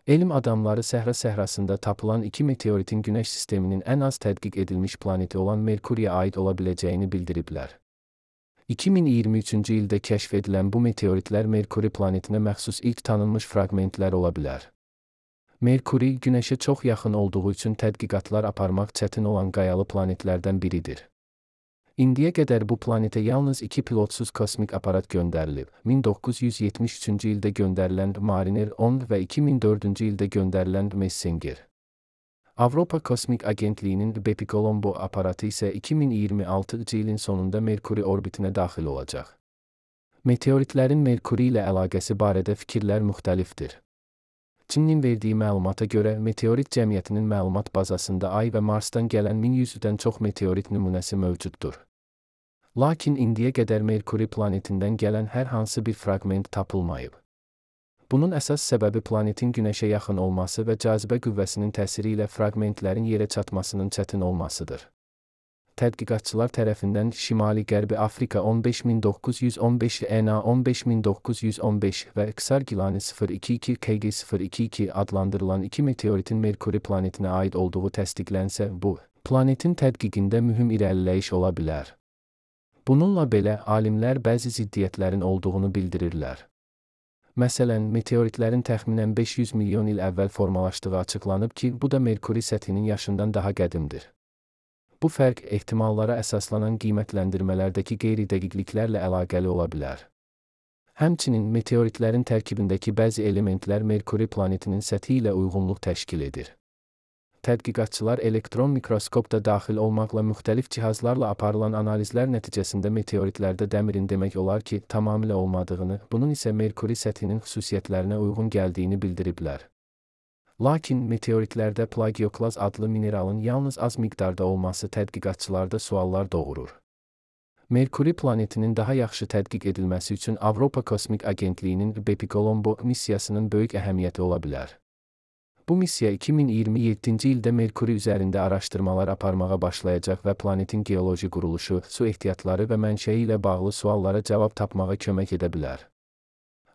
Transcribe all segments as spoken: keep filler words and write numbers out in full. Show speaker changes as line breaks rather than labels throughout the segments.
Elm adamları səhra səhrasında tapılan iki meteoritin Günəş sisteminin ən az tədqiq edilmiş planeti olan Merkuriyə aid ola biləcəyini bildiriblər. iki min iyirmi üçüncü ildə kəşf edilən bu meteoritlər Merkuri planetinə məxsus ilk tanınmış fraqmentlər ola bilər. Merkuri, Günəşə çox yaxın olduğu üçün tədqiqatlar aparmaq çətin olan qayalı planetlərdən biridir. İndiyə qədər bu planetə yalnız iki pilotsuz kosmik aparat göndərilib. min doqquz yüz yetmiş üçüncü ildə göndərilən Mariner on və iki min dördüncü ildə göndərilən Messenger. Avropa Kosmik Agentliyinin Bepicolombo aparatı isə iki min iyirmi altıncı ilin sonunda Merkuri orbitinə daxil olacaq. Meteoritlərin Merkuri ilə əlaqəsi barədə fikirlər müxtəlifdir. Çinin verdiyi məlumata görə, meteorit cəmiyyətinin məlumat bazasında Ay və Marsdan gələn min yüzdən çox meteorit nümunəsi mövcuddur. Lakin indiyə qədər Merkuri planetindən gələn hər hansı bir fraqment tapılmayıb. Bunun əsas səbəbi planetin Günəşə yaxın olması və cazibə qüvvəsinin təsiri ilə fraqmentlərin yerə çatmasının çətin olmasıdır. Tədqiqatçılar tərəfindən Şimali-Qərbi Afrika on beş min doqquz yüz on beş, E N A on beş min doqquz yüz on beş və Xargilani sıfır iki iki K G sıfır iki iki adlandırılan iki meteoritin Merkuri planetinə aid olduğu təsdiqlənsə, bu, planetin tədqiqində mühüm irəliləyiş ola bilər. Bununla belə, alimlər bəzi ziddiyyətlərin olduğunu bildirirlər. Məsələn, meteoritlərin təxminən beş yüz milyon il əvvəl formalaşdığı açıqlanıb ki, bu da Merkuri səthinin yaşından daha qədimdir. Bu fərq ehtimallara əsaslanan qiymətləndirmələrdəki qeyri-dəqiqliklərlə əlaqəli ola bilər. Həmçinin, meteoritlərin tərkibindəki bəzi elementlər Merkuri planetinin səthi ilə uyğunluq təşkil edir. Tədqiqatçılar elektron mikroskopda daxil olmaqla müxtəlif cihazlarla aparılan analizlər nəticəsində meteoritlərdə dəmirin demək olar ki, tamamilə olmadığını, bunun isə Merkuri səthinin xüsusiyyətlərinə uyğun gəldiyini bildiriblər. Lakin meteoritlərdə plagioklaz adlı mineralın yalnız az miqdarda olması tədqiqatçılarda suallar doğurur. Merkuri planetinin daha yaxşı tədqiq edilməsi üçün Avropa Kosmik Agentliyinin Bepicolombo missiyasının böyük əhəmiyyəti ola bilər. Bu missiya iki min iyirmi yeddinci ildə Merkuri üzərində araşdırmalar aparmağa başlayacaq və planetin geoloji quruluşu, su ehtiyatları və mənşəyi ilə bağlı suallara cavab tapmağa kömək edə bilər.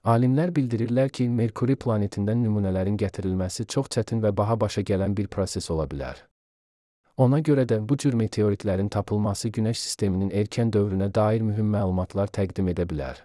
Alimlər bildirirlər ki, Merkuri planetindən nümunələrin gətirilməsi çox çətin və baha başa gələn bir proses ola bilər. Ona görə də bu cür meteoritlərin tapılması Günəş sisteminin erkən dövrünə dair mühüm məlumatlar təqdim edə bilər.